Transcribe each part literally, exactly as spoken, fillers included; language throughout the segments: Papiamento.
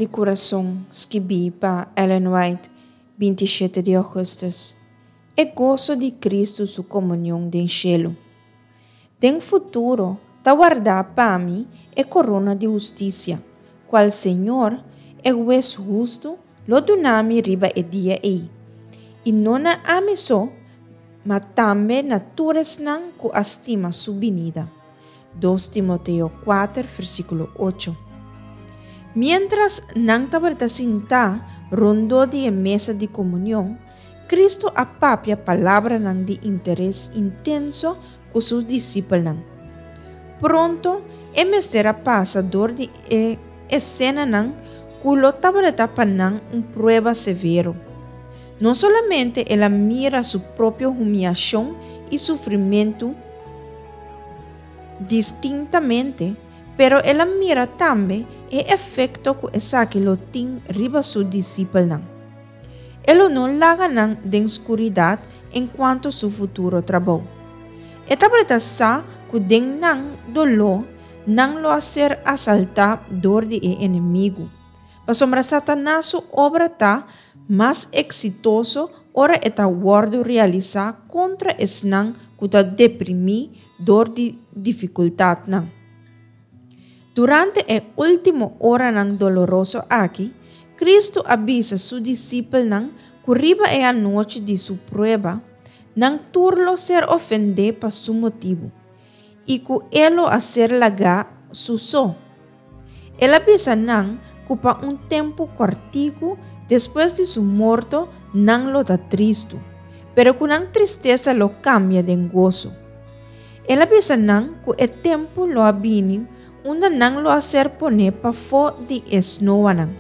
di Kurason, skibí pa Ellen White, binti shete di ougùstùs. E goso di Kristu su komunion den shelu. Den futuro ta wardá pa mi e korona di hustisia, kual Señor, e Hues hustu, lo duna mi riba e dia ei. I no na ami so, ma tambe na tur esnan ku a stima su binida. Dos Timoteo kuater, versíkulo ocho. Miéntras nan tabata sintá rondó di e mesa di komunion, Kristu a papia palabranan di interes intenso ku su disipelnan. Pronto e mester a pasa dor di e esenanan ku lo tabata pa nan un prueba severo. No solamente el a mira su propio humiashon i sufrimentu distintamente, pero el a mira tambe e efekto ku esaki lo tin riba su disipelnan. E lo no laga nan den skuridat enkuanto su futuro trabou. E tabata sa ku den nan doló nan lo a ser asaltá dor di e enemigu. Pasobra Satanas su obra ta mas eksitoso ora e ta wòrdu realisá kontra esnan ku ta deprimí dor di difikultatnan. Durante e último oranan doloroso aki, Kristu a bisa su disipelnan ku riba e anochi di su prueba, nan tur lo ser ofendé pa su motibu, i ku e lo a ser lagá su so. El a bisa nan ku pa un tempu kòrtiku despues di su morto nan lo ta tristu, pero ku nan tristesa lo kambia den goso. El a bisa nan ku e tempu lo a bini unda nan lo a ser poné pafó di e snoanan,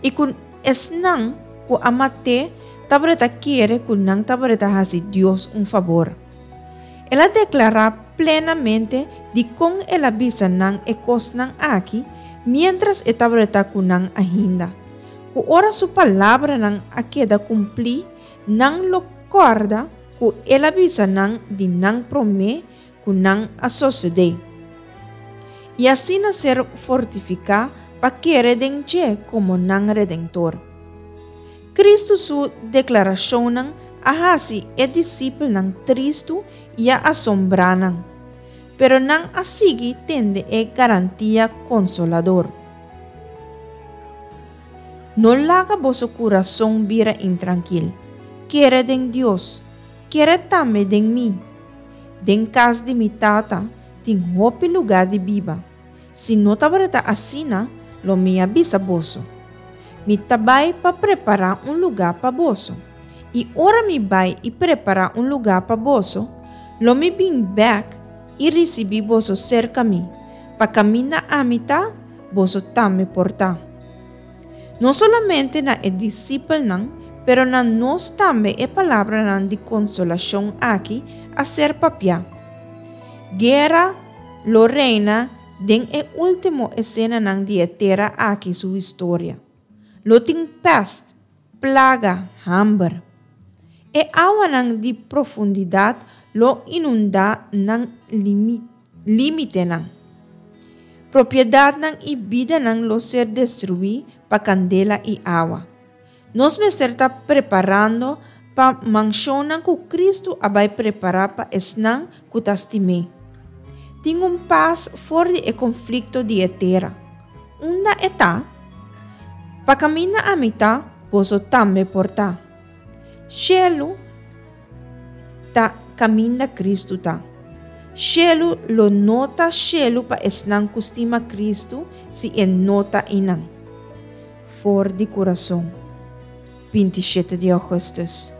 i ku esnan ku a mat'é tabata kere ku nan tabata hasi Dios un fabor. El a deklará plenamente dikon el a bisa nan e kosnan aki miéntras e tabata ku nan ainda, ku ora su palabranan a keda kumplí, nan lo kòrda ku el a bisa nan di nan promé ku nan a sosodé. I asina ser fortifiká pa kere den dje komo nan Redentor. Kristu su deklarashonnan a hasi e disipelnan tristu i a asombrá nan, pero nan a sigui tende e garantia konsolador. No laga boso kurason bira intrankil. Kere den Dios, kere tambe den mi. Den kas di mi Tata tin hopi lugá di biba. Si no tabata asina, lo mi a bisa boso. Mi ta bai pa prepará un lugá pa boso. I ora mi bai i prepará un lugá pa boso, lo mi bin bèk i risibí boso serka mi, pa kaminda ami ta, boso tambe por ta. No solamente na e disipelnan, pero na nos tambe e palabranan di konsolashon aki a ser papiá. Guera lo reina den e último esenanan di e tera aki su historia. Lo tin pèst, plaga, hamber. E awanan di profundidat lo inundá nan límitenan. Propiedatnan i bidanan lo ser destruí pa kandela i awa. Nos mester ta preparando pa manshonnan ku Kristu a bai prepará pa esnan ku ta stim'é. Tin un pas for di e konflikto di e tera. Unda e ta? Pa kaminda ami ta, boso tambe por ta. Shelu ta kaminda Kristu ta. Shelu lo no ta shelu pa esnan ku stima Kristu si e no ta einan. For di kurason, binti shete di ougùstùs.